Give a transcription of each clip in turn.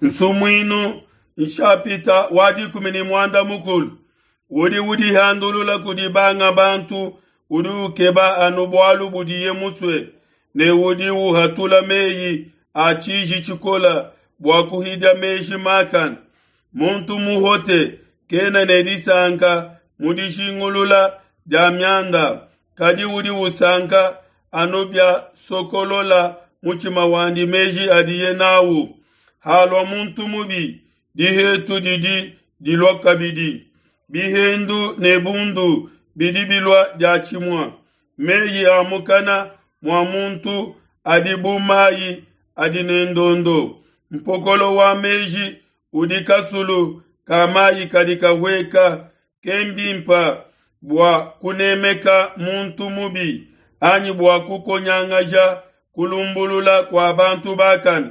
Nsumuinu nshapita wa 13. Udi udihandulula kudi banga bantu udi ukeba anu bualu budiye musue, ne udi uhatula meyi a tshiji tshikole bua kuhidia meji makane. Muntu muhote kena ne disanka mu dijingulula dia mianda, kadi udi usanka anu biasokolola mutshima wandi meji adiye nawu. Halua muntu mubi, dihetu didi dilua kabidi. Bihendu ne bundu bidi bilua diatshimue. Meyi a mukana mua muntu adi bu mayi adi ne ndondo. Mpokolo wa meji udi kasulu ka mayi kadi kahueka. Kembimpe bua kunemeka muntu mubi anyi bua kukonyangaja kulumbulula kua bantu bakane.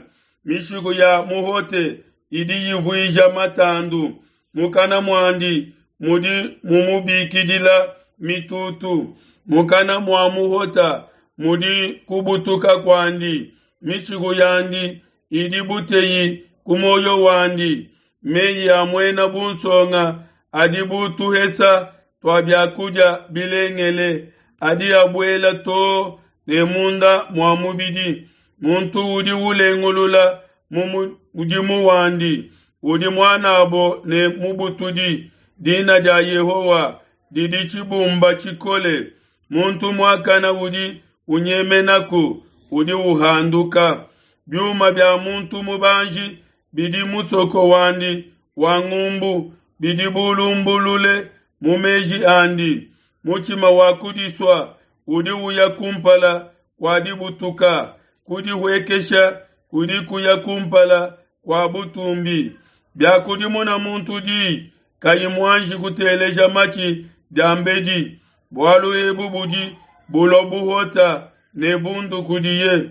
Mishiku ya muhote idi yivuija matandu, mukana muandi mudi mumubikidila mitutu. Mukana mua muhota mudi kubutuka kuandi, mishiku yandi idi buteyi ku muoyo wandi. Meyi a muena bunsonga adi bu tuhesa tua biakudia bilengele, adi abuela too ne munda mua mubidi. Muntu udi ulengulula mu mudimu wandi udi muanabo ne mubutudi. Dina dia Yehowa didi tshibumba tshikole, muntu muakane udi unyemenaku udi uhanduka. Biuma bia muntu mubanji bidi musoko wandi wa ngumbu, bidi bulumbulule mu meji andi. Mutshima wa kudisua udi uya kumpala kua dibutuka, kudihuekesha kudi kuya kumpala kua butumbi. Biakudimuna muntu diyi kayi muanji kuteleja matshi diambedi, bualu ebu budi bulua buhota ne bundu kudiye.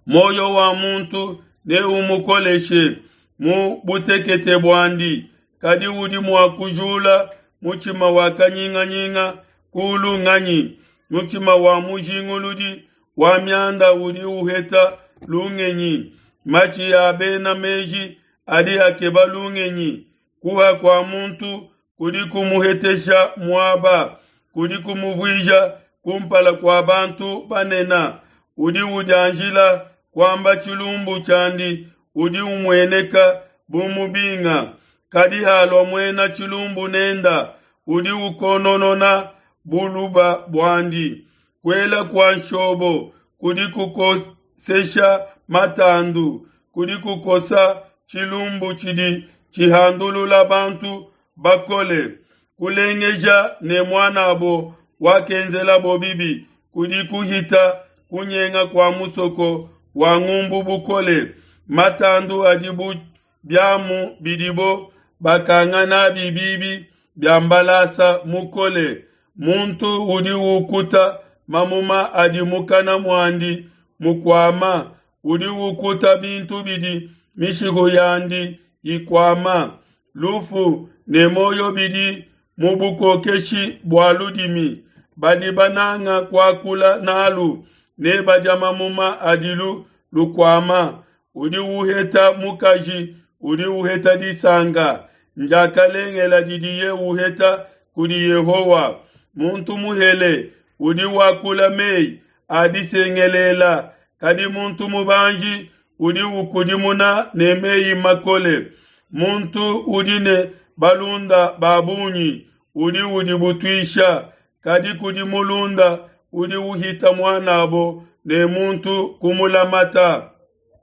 Muoyo wa muntu neumukoleshe mu butekete buandi, kadi udi mua kujula mutshima wa kanyinganyinga kulu nganyi? Mutshima wa mujinguludi wa mianda udi uheta lungenyi. Matshi a bena meji adi akeba lungenyi. Kuha kua muntu kudi kumuhetesha muaba, kudi kumuvuija kumpala kua bantu banene. Udi udianjila kuamba tshilumbu tshiandi udi umueneka bu mubinga, kadi halua muena tshilumbu nenda, udi ukononona buluba buandi. Kuela kua nshobo kudi kukosesha matandu, kudi kukosa tshilumbu tshidi tshihandulula bantu bakole. Kulengeja ne muanabo wakenzelabo bibi kudi kuhita kunyenga kua musoko wa ngumbu bukole. Matandu adi bu biamu bidibo bakanga nabi bibi bia mbalasa mukole. Muntu udi ukuta mamuma adi mukana muandi mukuama, udi ukuta bintu bidi mishiku yandi ikuama. Lufu ne muoyo bidi mu bukokeshi bua ludimi. Badi bananga kuakula nalu nebadia mamuma adilu lukuama. Udi uheta mukaji udi uheta disanka, ndiakalengela didiye uheta kudi Yehowa. Muntu muhele udi wakula meyi a disengelela, kadi muntu mubanji udi ukudimuna ne meyi makole. Muntu udi ne balunda ba bungi udi udibutuisha, kadi kudi mulunda udi uhita muanabo ne muntu kumulamata.